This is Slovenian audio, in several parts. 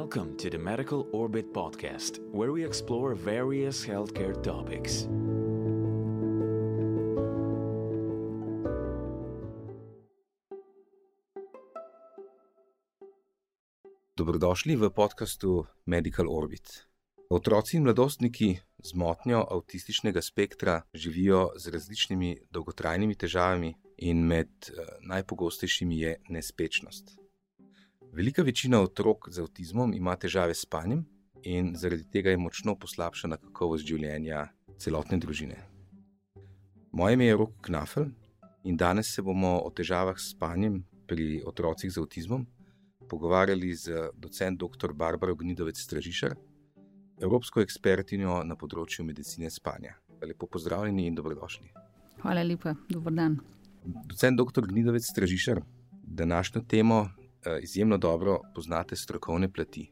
Welcome to the Medical Orbit podcast, where we explore various healthcare topics. Dobrodošli v podkastu Medical Orbit. Otroci in mladostniki z motnjo avtističnega spektra živijo z različnimi dolgotrajnimi težavami in med najpogostejšimi je nespečnost. Velika večina otrok z avtizmom ima težave s spanjem in zaradi tega je močno poslabšana kakovost življenja celotne družine. Moje ime je Rok Knafel in danes se bomo o težavah s spanjem pri otrocih z avtizmom pogovarjali z docent dr. Barbaro Gnidovec Stražišar, evropsko ekspertinjo na področju medicine spanja. Lepo pozdravljeni in dobrodošli. Hvala lepa, dober dan. Docent dr. Gnidovec Stražišar, današnjo temo izjemno dobro poznate strokovne plati.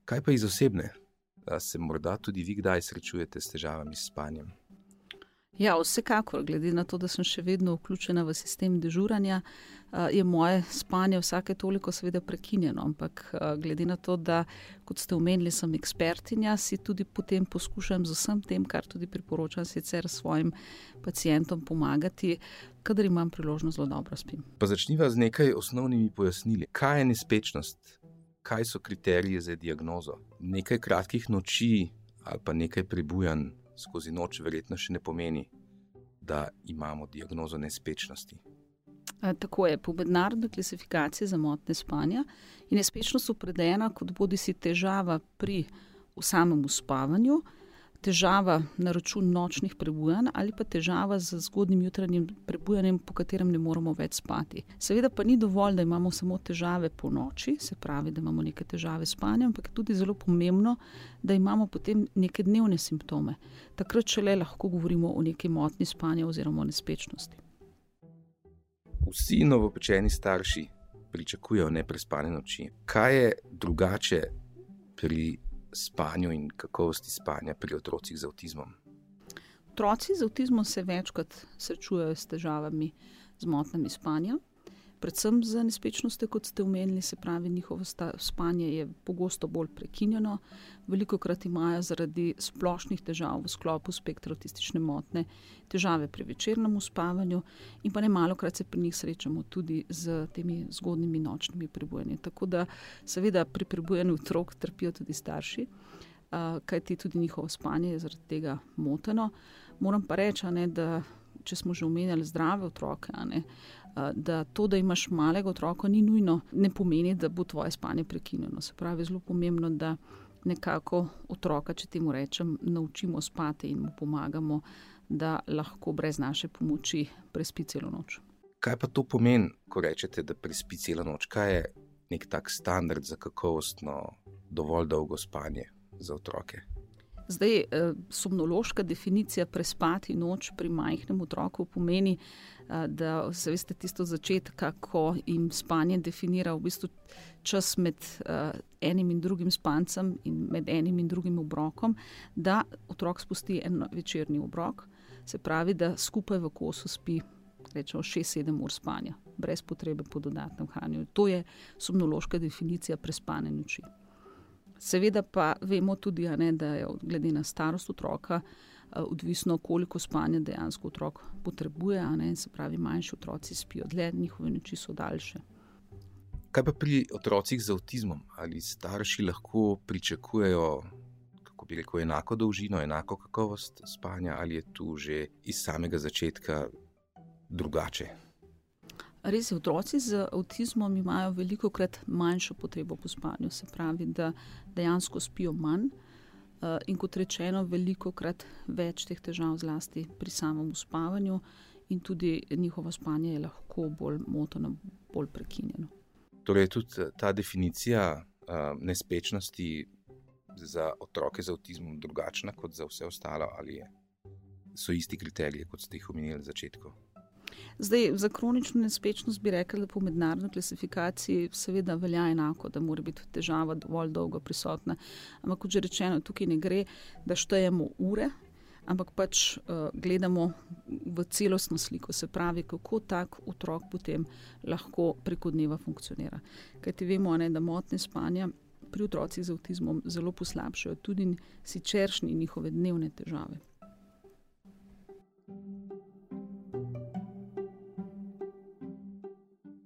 Kaj pa iz osebne? Se morda tudi vi kdaj srečujete s težavami s spanjem? Ja, vsekakor, glede na to, da sem še vedno vključena v sistem dežuranja, je moje spanje vsake toliko seveda prekinjeno, ampak glede na to, da, kot ste omenili, sem ekspertinja, si tudi potem poskušam z vsem tem, kar tudi priporočam sicer svojim pacientom pomagati, kadar imam priložnost, zelo dobro spim. Pa začniva z nekaj osnovnimi pojasnili. Kaj je nespečnost? Kaj so kriteriji za diagnozo? Nekaj kratkih noči ali pa nekaj prebujanj skozi noč verjetno še ne pomeni, da imamo diagnozo nespečnosti. Tako je, po mednarodni klasifikaciji za motnje spanja je nespečnost opredeljena kot bodisi težava pri samem uspavanju, težava na račun nočnih prebujanj ali pa težava z zgodnjim jutranjim prebujanjem, po katerem ne moremo več spati. Seveda pa ni dovolj, da imamo samo težave po noči, se pravi, da imamo neke težave s spanjem, ampak je tudi zelo pomembno, da imamo potem neke dnevne simptome. Takrat šele lahko govorimo o neki motnji spanja oziroma o nespečnosti. Vsi novopečeni starši pričakujejo neprespane noči. Kaj je drugače pri spanju in kakovosti spanja pri otrocih z avtizmom? Otroci z avtizmom se večkrat srečujejo s težavami z motnjami spanja, predvsem z nespečnostjo, kot ste omenili, se pravi, njihovo spanje je pogosto bolj prekinjeno, velikokrat imajo zaradi splošnih težav v sklopu spektra avtistične motnje težave pri večernem uspavanju in pa nemalokrat se pri njih srečamo tudi z temi zgodnjimi nočnimi prebujanji. Tako da seveda pri prebujanju otrok trpijo tudi starši, kajti tudi njihovo spanje je zaradi tega moteno. Moram pa reči, da če smo že omenjali zdrave otroke, da to, da imaš malega otroka, ni nujno, ne pomeni, da bo tvoje spanje prekinjeno. Se pravi, zelo pomembno, da nekako otroka, če temu rečem, naučimo spati in mu pomagamo, da lahko brez naše pomoči prespi celo noč. Kaj pa to pomeni, ko rečete, da prespi celo noč? Kaj je nek tak standard za kakovostno, dovolj dolgo spanje za otroke? Zdaj, somnološka definicija prespati noč pri majhnem otroku pomeni, da se veste tisto začetka, ko jim spanje definira v bistvu čas med enim in drugim spancem in med enim in drugim obrokom, da otrok spusti en večerni obrok, se pravi, da skupaj v kosu spi rečemo 6-7 ur spanja, brez potrebe po dodatnem hranju. To je somnološka definicija prespane noči. Seveda pa vemo tudi, da je glede na starost otroka odvisno, koliko spanja dejansko otrok potrebuje, se pravi, manjši otroci spijo dlje, njihove noči so daljše. Kaj pa pri otrocih z avtizmom? Ali starši lahko pričakujejo, kako bi rekel, enako dolžino, enako kakovost spanja, ali je tu že iz samega začetka drugače? Res je, otroci z avtizmom imajo velikokrat manjšo potrebo po spanju, se pravi, da dejansko spijo manj in kot rečeno, velikokrat več teh težav zlasti pri samem uspavanju in tudi njihovo spanje je lahko bolj moteno, bolj prekinjeno. Torej tudi ta definicija nespečnosti za otroke z avtizmom drugačna kot za vse ostalo, ali so isti kriteriji, kot ste jih omenili na začetku? Zdaj, za kronično nespečnost bi rekla, da po mednarodni klasifikaciji seveda velja enako, da mora biti težava dovolj dolgo prisotna. Ampak kot že rečeno, tukaj ne gre, da štejemo ure, ampak pač gledamo v celostno sliko, se pravi, kako tak otrok potem lahko preko dneva funkcionira. Kajti vemo, da motnje spanja pri otrocih z avtizmom zelo poslabšajo tudi siceršnje njihove dnevne težave.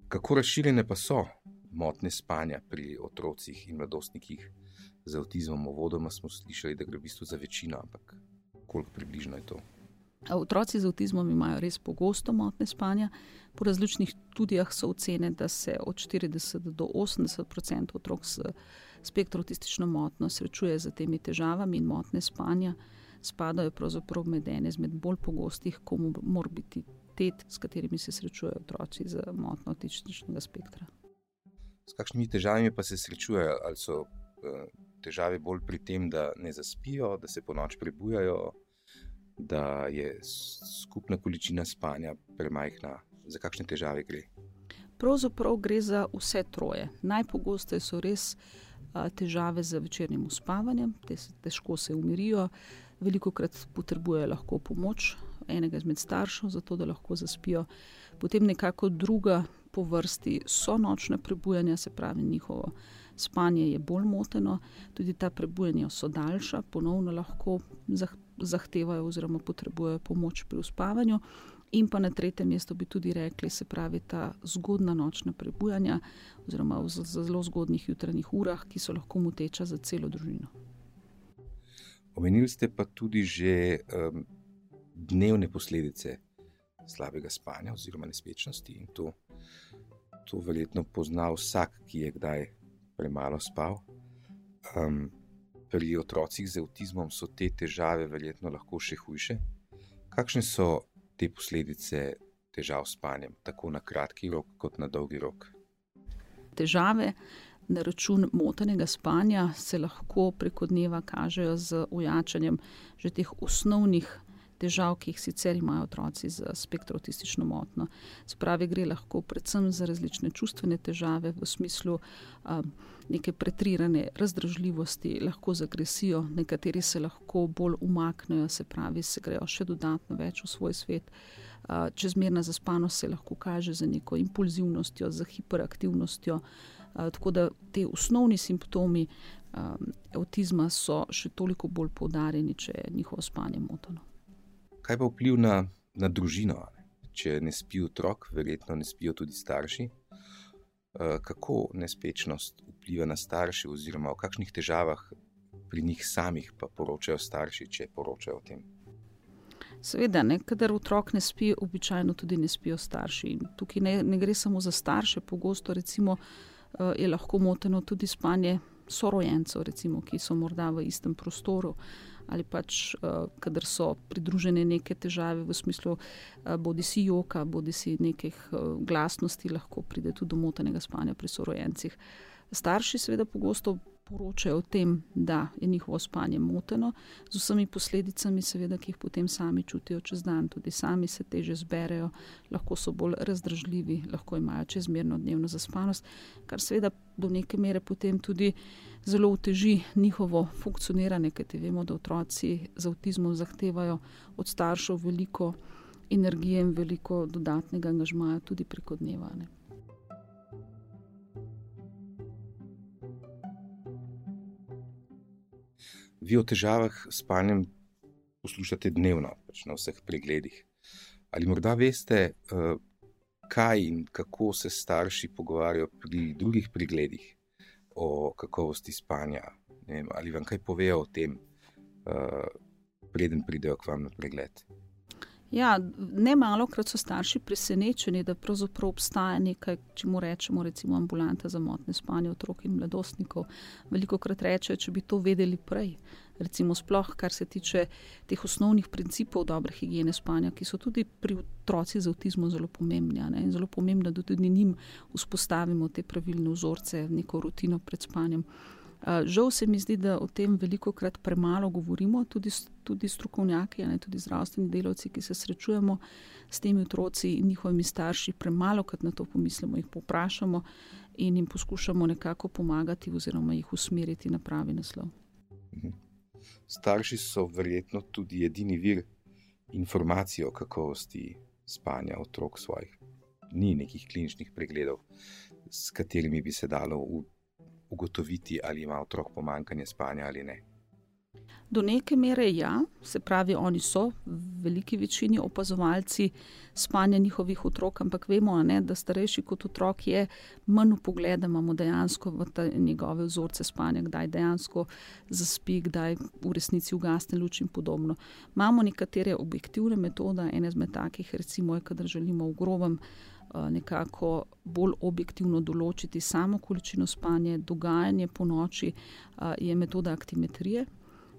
Kako razširjene pa so motnje spanja pri otrocih in mladostnikih z avtizmom? Uvodoma smo slišali, da gre v bistvu za večino, ampak koliko približno je to? Otroci z avtizmom imajo res pogosto motnje spanja. Po različnih študijah so ocene, da se od 40 do 80% otrok s spektrom avtistično motnjo srečuje z temi težavami, in motnje spanja spadajo pravzaprav med ene izmed bolj pogostih komorbiditet, s katerimi se srečujejo otroci z motnjo avtističnega spektra. S kakšnimi težavami pa se srečujejo? Ali so težave bolj pri tem, da ne zaspijo, da se ponoči prebujajo, da je skupna količina spanja premajhna? Za kakšne težave gre? Pravzaprav gre za vse troje. Najpogosteje so res težave z večernim uspavanjem, težko se umirijo, velikokrat potrebujejo lahko pomoč enega izmed staršev, zato da lahko zaspijo. Potem nekako druga po vrsti so nočne prebujanja, se pravi njihovo spanje je bolj moteno, tudi ta prebujanja so daljša, ponovno lahko zahtevajo oziroma potrebujejo pomoč pri uspavanju. In pa na tretjem mestu bi tudi rekli, se pravi ta zgodna nočna prebujanja oziroma v zelo zgodnih jutranjih urah, ki so lahko moteča za celo družino. Omenili ste pa tudi že dnevne posledice slabega spanja oziroma nespečnosti, in to verjetno pozna vsak, ki je kdaj premalo spal. Pri otrocih z avtizmom so te težave verjetno lahko še hujše. Kakšne so te posledice težav s spanjem, tako na kratki rok kot na dolgi rok? Težave na račun motenega spanja se lahko preko dneva kažejo z ojačanjem že teh osnovnih težav, ki jih sicer imajo otroci z spektrom avtistično motnjo. Se pravi, gre lahko predvsem za različne čustvene težave v smislu neke pretrirane razdražljivosti, lahko z agresijo, nekateri se lahko bolj umaknejo, se pravi, se grejo še dodatno več v svoj svet. Čezmerna zaspanost se lahko kaže za neko impulzivnostjo, za hiperaktivnostjo, tako da te osnovni simptomi avtizma so še toliko bolj poudarjeni, če je njihovo spanje moteno. Kaj pa vpliv na družino? Če ne spi otrok, verjetno ne spijo tudi starši. Kako nespečnost vpliva na starše oziroma o kakšnih težavah pri njih samih pa poročajo starši, če poročajo o tem? Seveda, kadar otrok ne spi, običajno tudi ne spijo starši. In tukaj ne gre samo za starše, pogosto recimo je lahko moteno tudi spanje sorojencev, recimo, ki so morda v istem prostoru, ali pač, kadar so pridružene neke težave v smislu bodisi joka, bodisi nekih glasnosti, lahko pride tudi do motenega spanja pri sorojencih. Starši seveda pogosto poročajo o tem, da je njihovo spanje moteno, z vsemi posledicami seveda, ki jih potem sami čutijo čez dan, tudi sami se teže zberejo, lahko so bolj razdražljivi, lahko imajo čezmerno dnevno zaspanost, kar seveda do neke mere potem tudi zelo oteži njihovo funkcioniranje, kajti vemo, da otroci z avtizmom zahtevajo od staršev veliko energije in veliko dodatnega angažmaja tudi preko dneva. Vi o težavah s spanjem poslušate dnevno, pač na vseh pregledih. Ali morda veste, kaj in kako se starši pogovarjajo pri drugih pregledih o kakovosti spanja? Ne vem, ali vam kaj povejo o tem, preden pridejo k vam na pregled? Ja, ne malokrat so starši presenečeni, da pravzaprav obstaja nekaj, čemu rečemo recimo ambulanta za motnje spanja otrok in mladostnikov. Velikokrat rečejo, če bi to vedeli prej. Recimo sploh, kar se tiče teh osnovnih principov dobre higiene spanja, ki so tudi pri otrocih z avtizmom zelo pomembni. In zelo pomembno, da tudi njim vzpostavimo te pravilne vzorce, neko rutino pred spanjem. Žal se mi zdi, da o tem velikokrat premalo govorimo, tudi strokovnjaki, tudi zdravstveni delavci, ki se srečujemo s temi otroci in njihovimi starši, premalokrat na to pomislimo, jih povprašamo in jim poskušamo nekako pomagati oziroma jih usmeriti na pravi naslov. Starši so verjetno tudi edini vir informacij o kakovosti spanja otrok svojih. Ni nekih kliničnih pregledov, s katerimi bi se dalo v ugotoviti, ali ima otrok pomanjkanje spanja ali ne? Do neke mere ja, se pravi, oni so v veliki večini opazovalci spanja njihovih otrok, ampak vemo, ne, da starejši kot otrok je manj vpogleda, imamo dejansko v njegove vzorce spanja, kdaj dejansko zaspi, kdaj v resnici ugasne luč in podobno. Imamo nekatere objektivne metode, ene izmed takih recimo je, kadar želimo v grobem nekako bolj objektivno določiti samo količino spanja, dogajanje po noči, je metoda aktimetrije.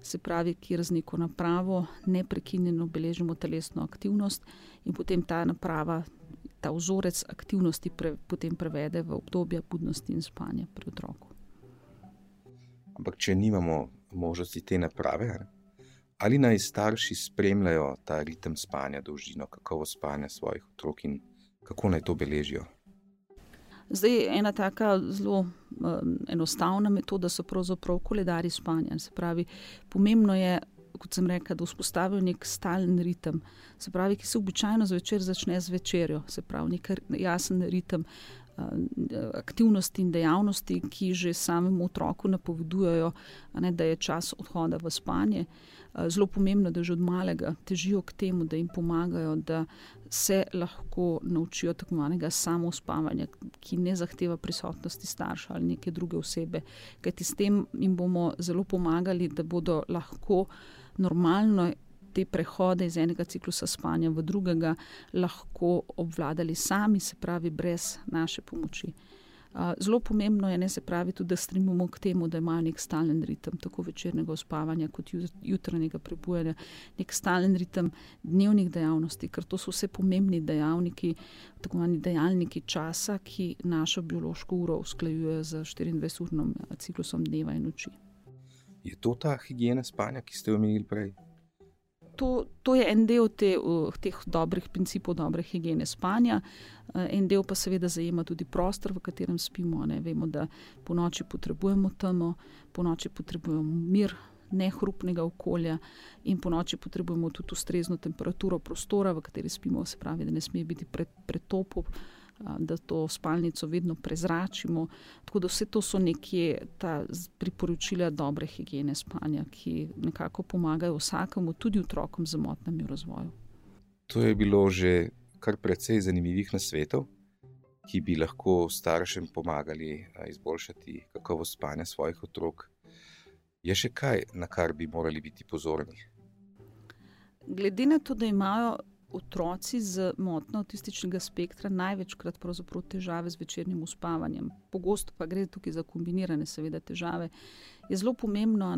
Se pravi, kjer z neko napravo neprekinjeno beležimo telesno aktivnost in potem ta naprava, ta vzorec aktivnosti potem prevede v obdobje budnosti in spanja pri otroku. Ampak če nimamo možnosti te naprave, ali naj starši spremljajo ta ritem spanja, dolžino, kakovost spanja svojih otrok in kako naj to beležijo? Zdaj, ena taka zelo enostavna metoda so pravzaprav koledarji spanja. Se pravi, pomembno je, kot sem rekla, da vzpostavijo nek stalen ritem. Se pravi, ki se običajno zvečer začne z večerjo. Se pravi, nek jasen ritem aktivnosti in dejavnosti, ki že samemu otroku napovedujejo, da je čas odhoda v spanje. Zelo pomembno, da že od malega težijo k temu, da jim pomagajo, da se lahko naučijo tako imenovanega samospavanja, ki ne zahteva prisotnosti starša ali neke druge osebe. Kajti s tem jim bomo zelo pomagali, da bodo lahko normalno te prehode iz enega ciklusa spanja v drugega lahko obvladali sami, se pravi brez naše pomoči. Zelo pomembno je, se pravi, tudi, da stremimo k temu, da imajo nek stalen ritem, tako večernega uspavanja kot jutranjega prebujanja, nek stalen ritem dnevnih dejavnosti, ker to so vse pomembni dejavniki, tako imenovani dejavniki časa, ki našo biološko uro usklajujejo z 24-urnim ciklusom dneva in noči. Je to ta higiena spanja, ki ste omenili prej? To je en del teh dobrih principov dobre higiene spanja, en del pa seveda zajema tudi prostor, v katerem spimo. Vemo, da po noči potrebujemo temo, po noči potrebujemo mir, nehrupnega okolja in po noči potrebujemo tudi ustrezno temperaturo prostora, v kateri spimo, se pravi, da ne sme biti pretopo, da to spalnico vedno prezračimo. Tako da vse to so nekje ta priporočila dobre higiene spanja, ki nekako pomagajo vsakemu, tudi otrokom z motnjami v razvoju. To je bilo že kar precej zanimivih nasvetov, ki bi lahko staršem pomagali izboljšati kakovost spanja svojih otrok. Je še kaj, na kar bi morali biti pozorni? Glede na to, da imajo otroci z motnjo avtističnega spektra največkrat pravzaprav težave z večernim uspavanjem. Pogosto pa gre tukaj za kombinirane seveda težave. Je zelo pomembno,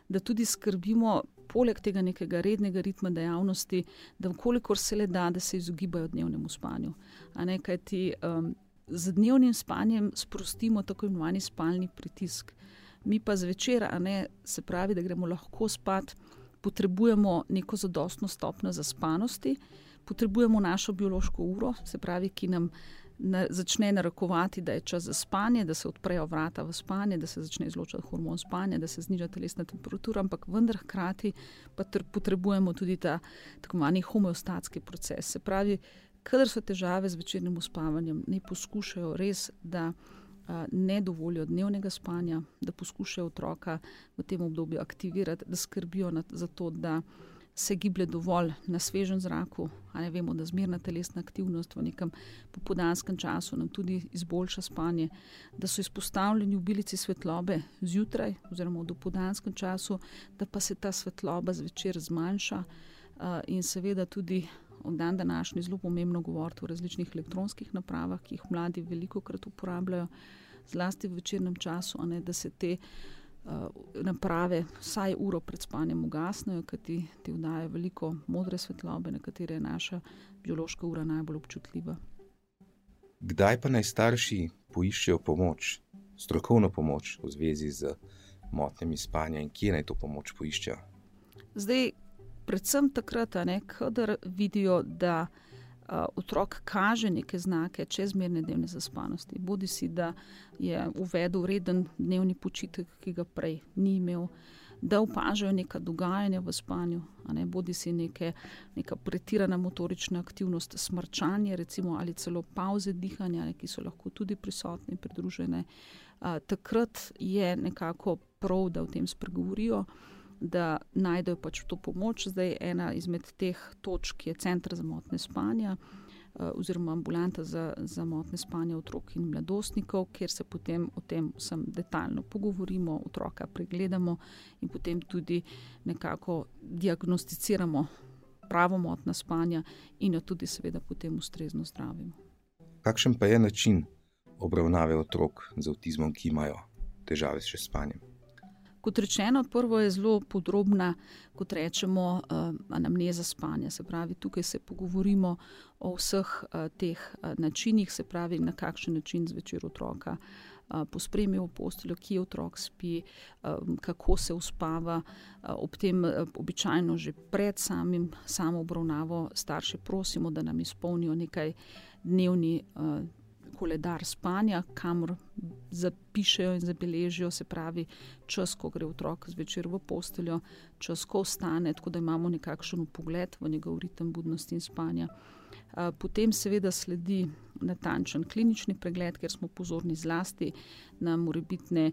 da tudi skrbimo poleg tega nekega rednega ritma dejavnosti, da kolikor se le da, da se izogibajo dnevnemu spanju. Kajti z dnevnim spanjem sprostimo tako imenovani spalni pritisk. Mi pa zvečer, se pravi, da gremo lahko spat, potrebujemo neko zadostno stopnjo zaspanosti, potrebujemo našo biološko uro, se pravi, ki nam začne narekovati, da je čas za spanje, da se odprejo vrata v spanje, da se začne izločati hormon spanja, da se zniža telesna temperatura, ampak vendar hkrati pa potrebujemo tudi ta tako imenovani homeostatski proces. Se pravi, kadar so težave z večernim uspavanjem, ne poskušajo res, da ne dovolijo dnevnega spanja, da poskušajo otroka v tem obdobju aktivirati, da skrbijo za to, da se giblje dovolj na svežem zraku, vemo, da zmerna telesna aktivnost v nekem popoldanskem času nam tudi izboljša spanje, da so izpostavljeni obilici svetlobe zjutraj oziroma v dopoldanskem času, da pa se ta svetloba zvečer zmanjša in seveda tudi v dan današnji zelo pomembno govoriti o različnih elektronskih napravah, ki jih mladi velikokrat uporabljajo, zlasti v večernem času, da se te naprave vsaj uro pred spanjem ugasnejo, kajti ti vdajajo veliko modre svetlobe, na katere je naša biološka ura najbolj občutljiva. Kdaj pa naj starši poiščejo pomoč, strokovno pomoč v zvezi z motnjami spanja in kje naj to pomoč poiščejo? Zdaj, predvsem takrat, kadar vidijo, da otrok kaže neke znake čezmerne dnevne zaspanosti. Bodisi, da je uvedel reden dnevni počitek, ki ga prej ni imel, da opažajo neka dogajanja v spanju, bodi si neka pretirana motorična aktivnost, smrčanje recimo, ali celo pavze dihanja, ki so lahko tudi prisotne in pridružene. Takrat je nekako prav, da o tem spregovorijo, da najdejo pač to pomoč. Zdaj ena izmed teh točk je Center za motnje spanja oziroma ambulanta za motnje spanja otrok in mladostnikov, kjer se potem o tem vsem detaljno pogovorimo, otroka pregledamo in potem tudi nekako diagnosticiramo pravo motnjo spanja in jo tudi seveda potem ustrezno zdravimo. Kakšen pa je način obravnave otrok z avtizmom, ki imajo težave s spanjem? Kot rečeno, prvo je zelo podrobna, kot rečemo, anamneza spanja. Se pravi, tukaj se pogovorimo o vseh teh načinih, se pravi, na kakšen način zvečer otroka pospremijo v posteljo, kje otrok spi, kako se uspava. Ob tem običajno že pred samo obravnavo starše prosimo, da nam izpolnijo nekaj dnevni koledar spanja, kamor zapišejo in zabeležijo, se pravi čas, ko gre otrok zvečer v posteljo, čas, ko vstane, tako da imamo nekakšen vpogled v njegov ritem budnosti in spanja. Potem seveda sledi natančen klinični pregled, kjer smo pozorni zlasti na morebitne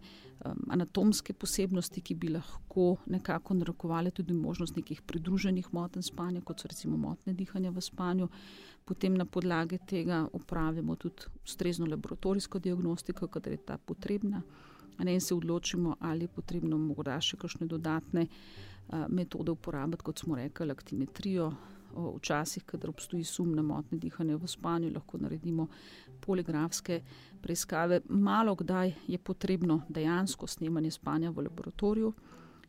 anatomske posebnosti, ki bi lahko nekako narekovale tudi možnost nekih pridruženih motenj spanja, kot so recimo motnje dihanja v spanju. Potem na podlagi tega opravimo tudi ustrezno laboratorijsko diagnostiko, kadar je ta potrebna, in se odločimo, ali je potrebno morda še kakšne dodatne metode uporabiti, kot smo rekli, aktimetrijo. Včasih, kadar obstoji sum na motnje dihanja v spanju, lahko naredimo poligrafske preiskave. Malo kdaj je potrebno dejansko snemanje spanja v laboratoriju,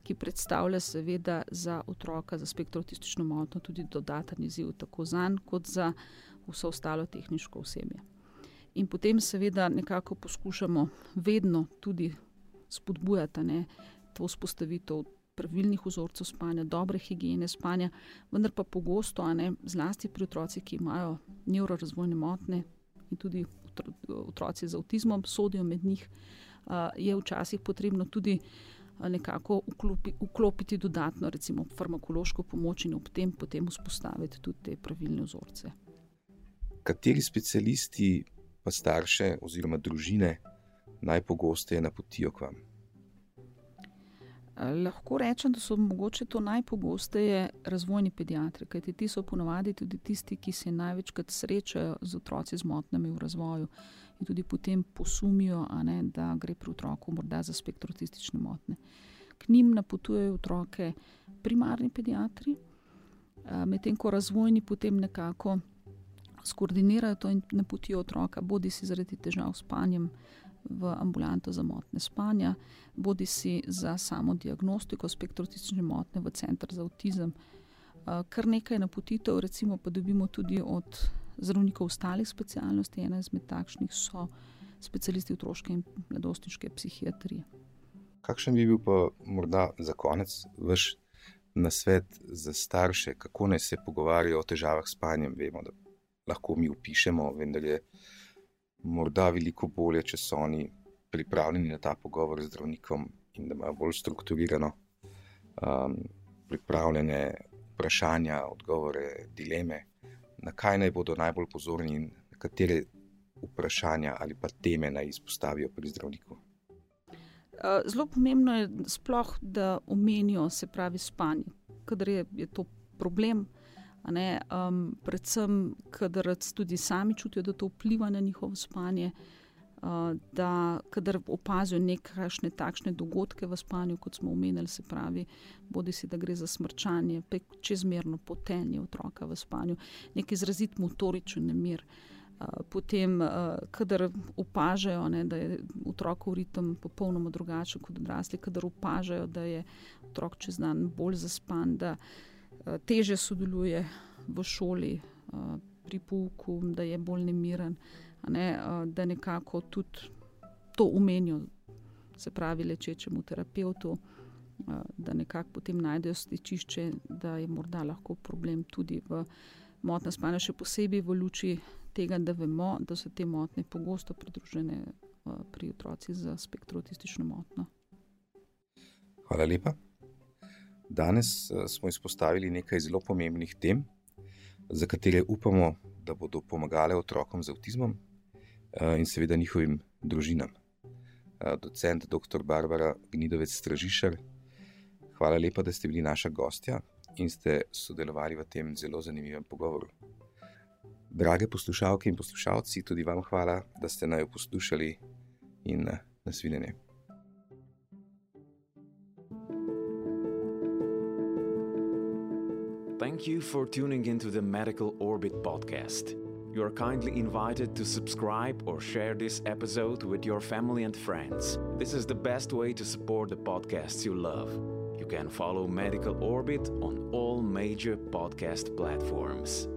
ki predstavlja seveda za otroka za spektro avtistično motnjo tudi dodaten izziv, tako zanj kot za vso ostalo tehniško osebje. In potem seveda nekako poskušamo vedno tudi spodbujati to vzpostavitev pravilnih vzorcev spanja, dobre higiene spanja, vendar pa pogosto, zlasti pri otrocih, ki imajo nevrorazvojne motnje in tudi otroci z avtizmom sodijo med njih, je včasih potrebno tudi nekako vklopiti dodatno recimo farmakološko pomoč in ob tem potem vzpostaviti tudi te pravilne vzorce. Kateri specialisti pa starše oziroma družine najpogosteje napotijo k vam? Lahko rečem, da so mogoče to najpogosteje razvojni pediatri, kajti ti so ponavadi tudi tisti, ki se največkrat srečajo z otroci z motnjami v razvoju in tudi potem posumijo, da gre pri otroku morda za spektro avtistične motnje. K njim napotujejo otroke primarni pediatri, medtem ko razvojni potem nekako skoordinirajo to in napotijo otroka, bodi si zaradi težav s spanjem v ambulanto za motnje spanja, bodi si za samo diagnostiko spektro avtistične motnje v Center za avtizem. Kar nekaj napotitev recimo pa dobimo tudi od zdravnikov ostalih specialnosti, ena izmed takšnih so specialisti otroške in mladostniške psihiatrije. Kakšen bi bil pa morda za konec vaš nasvet za starše, kako naj se pogovarjajo o težavah s spanjem? Vemo, da lahko mi opišemo, vendar je morda veliko bolje, če so oni pripravljeni na ta pogovor z zdravnikom in da imajo bolj strukturirano pripravljene vprašanja, odgovore, dileme, na kaj naj bodo najbolj pozorni in katere vprašanja ali pa teme naj izpostavijo pri zdravniku. Zelo pomembno je sploh, da omenijo, se pravi, spanje, kadar je to problem, predvsem, kadar tudi sami čutijo, da to vpliva na njihovo spanje, da kadar opazijo nekakšne takšne dogodke v spanju, kot smo omenili, se pravi, bodi si, da gre za smrčanje, čezmerno potenje otroka v spanju, nek izrazit motoričen nemir. Potem, kadar opažajo, da je otrokov ritem popolnoma drugačen kot odrasli, kadar opažajo, da je otrok čez dan bolj zaspan, da teže sodeluje v šoli pri pouku, da je bolj nemiren, da nekako tudi to omenijo, se pravi lečečemu terapevtu, da nekako potem najdejo stičišče, da je morda lahko problem tudi v motnjah spanja, še posebej v luči tega, da vemo, da so te motnje pogosto pridružene pri otrocih z spektro avtistično motnjo. Hvala lepa. Danes smo izpostavili nekaj zelo pomembnih tem, za katere upamo, da bodo pomagale otrokom z avtizmom in seveda njihovim družinam. Docent dr. Barbara Gnidovec-Stražišar, hvala lepa, da ste bili naša gostja in ste sodelovali v tem zelo zanimivem pogovoru. Drage poslušalke in poslušalci, tudi vam hvala, da ste naju poslušali in nasvidenje. Thank you for tuning into the Medical Orbit podcast. You are kindly invited to subscribe or share this episode with your family and friends. This is the best way to support the podcasts you love. You can follow Medical Orbit on all major podcast platforms.